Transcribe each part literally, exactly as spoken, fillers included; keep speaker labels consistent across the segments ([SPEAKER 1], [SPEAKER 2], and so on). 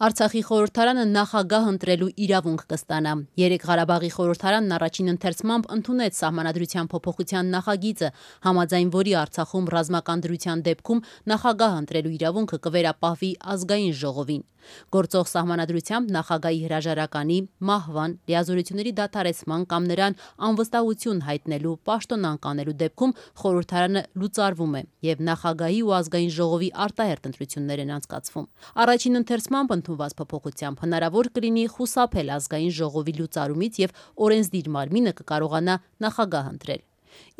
[SPEAKER 1] Արցախի խորհրդարանը նախագահ ընտրելու իրավունք կստանա։ Երեկ Ղարաբաղի խորհրդարանն առաջին ընթերցմամբ ընդունեց սահմանադրության փոփոխության նախագիծը, համաձայն որի Արցախում ռազմական դրության դեպքում նախագահ ընտրելու իրավունքը կվերապահվի ազգային ժողովին։ Գործող սահմանադրությամբ նախագահի հրաժարականի, մահվան, լիազորությունների դադարեցման կամ նրան անվստահություն հայտնելու, պաշտոնանկ անելու դեպքում խորհրդարանը լուծարվում է եւ նախագահի ու ազգային ժողովի արտահերթ ընտրություններ են անցկացվում։ Առաջին ընթերցմամբ ընդունված փոփոխությամբ հնարավոր կլինի խուսափել ազգային ժողովի լուծարումից եւ օրենսդիր մարմինը կկարողանա նախագահ ընտրել։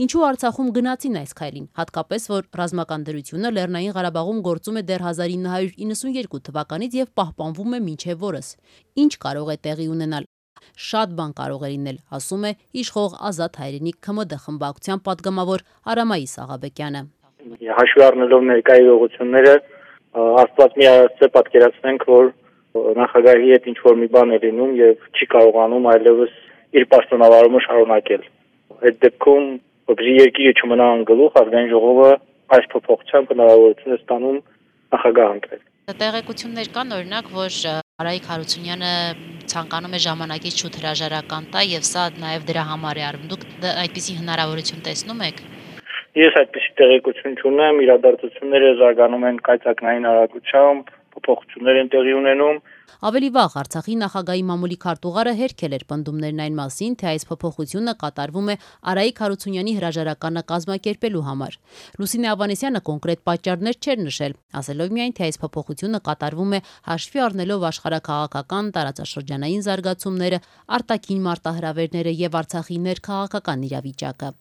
[SPEAKER 1] Ինչու Արցախում գնացին այս քայլին, հատկապես որ ռազմական դրությունը Լեռնային Ղարաբաղում գործում է դեռ հազար ինը հարյուր իննսունյոթ թվականից եւ պահպանվում է մինչեւ օրս։ Ինչ կարող է տեղի ունենալ։ Շատ բան կարող է լինել, ասում է իշխող Ազատ Հայրենիք ՔՄԴ խմբակցության падգամավոր Արամայիս Աղաբեկյանը։
[SPEAKER 2] Հաշվի առնելով ներկայ իրողությունները, Աստված մի արարծե պատկերացնենք, որ նախագահի հետ ինչ որ մի բան է լինում եւ չի կարողանում այլևս իր պաշտոնավարումը շարունակել։ Այդ դեպքում որպեսզի երկիրը չմնա անգլուխ, ազգային ժողովը այս փոփոխությամբ հնարավորություն է ստանում նախագահ ընտրել։
[SPEAKER 3] Տեղեկություններ կան, օրինակ, որ Արայիկ Հարությունյանը ցանկանում է ժամանակից շուտ հրաժարական տա եւ սա նաեւ դրա համար է արվում։ Դուք այդպիսի հնարավորություն տեսնում եք։
[SPEAKER 2] Ես այդպիսի տեղեկություն չունեմ, իրադարձությունները զարգանում են կայծակնային արագությամբ, փոփոխություններ են տեղի ունենում։
[SPEAKER 1] Ավելի վաղ Արցախի նախագահի մամուլի քարտուղարը հերքել էր պնդումներն այն մասին, թե այս փոփոխությունը կատարվում է Արայիկ Հարությունյանի հրաժարականը կազմակերպելու համար։ Լուսինե Ավանեսյանը կոնկրետ պատճառներ չէր նշել, ասելով միայն, թե այս փոփոխությունը կատարվում է հաշվի առնելով աշխարհաքաղաքական տարածաշրջանային զարգացումները, արտաքին մարտահրավերները եւ Արցախի ներքաղաքական իրավիճակը։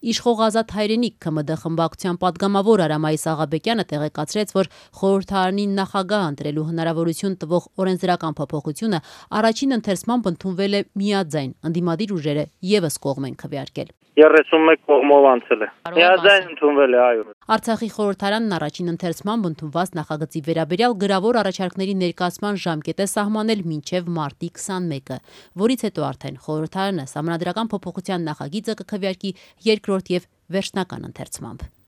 [SPEAKER 1] Իշխող Ազատ Հայրենիք ՔՄԴ խմբակցության падգամավոր Արամայիս Աղաբեկյանը տեղեկացրեց, որ խորհրդարանին նախագահ ընտրելու հնարավորություն տվող օրենսդրական փոփոխությունը առաջին ընթերցմամբ ընդունվել է միաձայն, ընդդիմադիր ուժերը եւս կողմ են քվեարկել։
[SPEAKER 2] երեսունմեկ կողմով անցել է։ Միաձայն ընդունվել է, այո։
[SPEAKER 1] Արցախի խորհրդարանն առաջին ընթերցմամբ ընդունված նախագծի վերաբերյալ գրավոր առաջարկների ներկայացման ժամկետ է սահմանել մինչև մարտի քսանմեկը, որից հետո արդեն խորհրդարանը սահմանադրական փոփոխության նախագիծը կքվեարկի երկրորդ եւ վերջնական ընթերցմամբ։